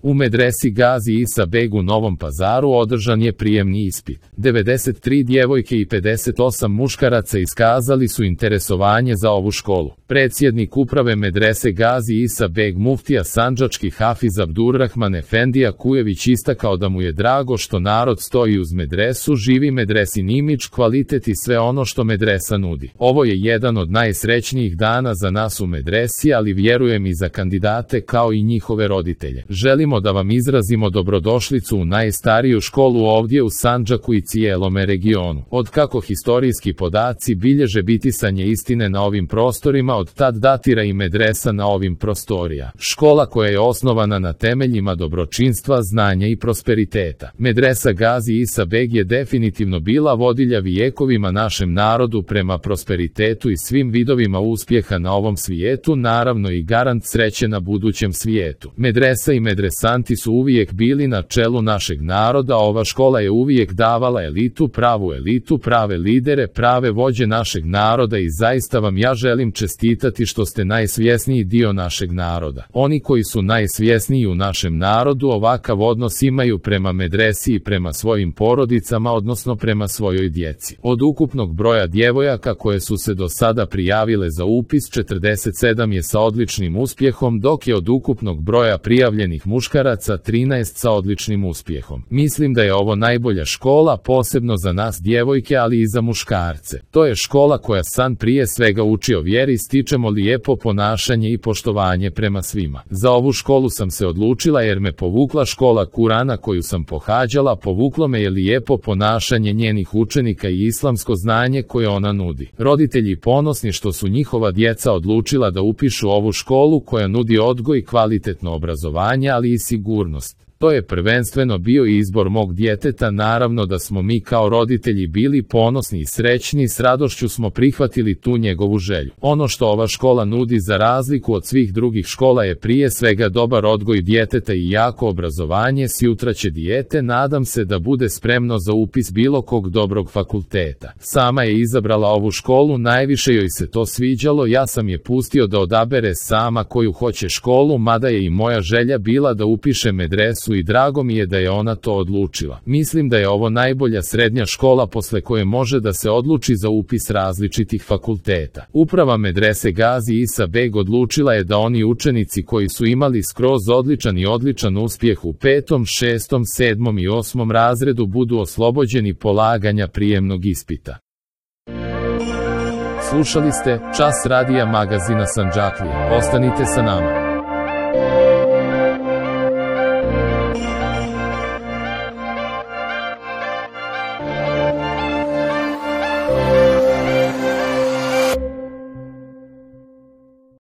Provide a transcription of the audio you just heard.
U medresi Gazi Isa Beg u Novom Pazaru održan je prijemni ispit. 93 djevojke i 58 muškaraca iskazali su interesovanje za ovu školu. Predsjednik uprave medrese Gazi Isa Beg muftija sandžački Hafiz Abdurrahman Efendija Kujević istakao da mu je drago što narod stoji uz medresu, živi medresin imidž, kvalitet i sve ono što medresa nudi. Ovo je jedan od najsrećnijih dana za nas u medresi, ali vjerujem i za kandidate kao i njihove roditelje. Želimo da vam izrazimo dobrodošlicu u najstariju školu ovdje u Sandžaku i cijelome regionu. Od kako historijski podaci bilježe bitisanje istine na ovim prostorima, od tad datira i medresa na ovim prostorija. Škola koja je osnovana na temeljima dobročinstva, znanja i prosperiteta. Medresa Gazi Isa Beg je definitivno bila vodilja vijekovima našem narodu prema prosperitetu i svim vidovima uspjeha na ovom svijetu, naravno i garant sreće na budućem svijetu. Medresa i medresanti su uvijek bili na čelu našeg naroda, ova škola je uvijek davala elitu, pravu elitu, prave lidere, prave vođe našeg naroda i zaista vam ja želim čestitati što ste najsvjesniji dio našeg naroda. Oni koji su najsvjesniji u našem narodu ovakav odnos imaju prema medresi i prema svojim porodicama, odnosno prema svojoj djeci. Od ukupnog broja djevojaka koje su se do sada prijavile za upis, 47 je sa odličnim uspjehom, dok je od ukupnog broja prijavljenih muškaraca 13 sa odličnim uspjehom. Mislim da je ovo najbolja škola, posebno za nas djevojke, ali i za muškarce. To je škola koja san prije svega uči o vjeri, stičemo lijepo ponašanje i poštovanje prema svima. Za ovu školu sam se odlučila jer me povukla škola Kurana koju sam pohađala, povuklo me je lijepo ponašanje njenih učenika i islamsko znanje koje ona nudi. Roditelji ponosni što su njihova djeca odlučila da upišu ovu školu koja nudi odgoj i kvalitetno obrazovanje, ali i sigurnost. To je prvenstveno bio izbor mog djeteta, naravno da smo mi kao roditelji bili ponosni i srećni, s radošću smo prihvatili tu njegovu želju. Ono što ova škola nudi za razliku od svih drugih škola je prije svega dobar odgoj djeteta i jako obrazovanje, sutra će dijete, nadam se da bude spremno za upis bilo kog dobrog fakulteta. Sama je izabrala ovu školu, najviše joj se to sviđalo, ja sam je pustio da odabere sama koju hoće školu, mada je i moja želja bila da upiše medresu i drago mi je da je ona to odlučila. Mislim da je ovo najbolja srednja škola posle koje može da se odluči za upis različitih fakulteta. Uprava medrese Gazi Isa Beg odlučila je da oni učenici koji su imali skroz odličan uspjeh u 5., 6., 7. i 8. razredu budu oslobođeni polaganja prijemnog ispita. Slušali ste Čas radija magazina Sandžaklija. Ostanite sa nama.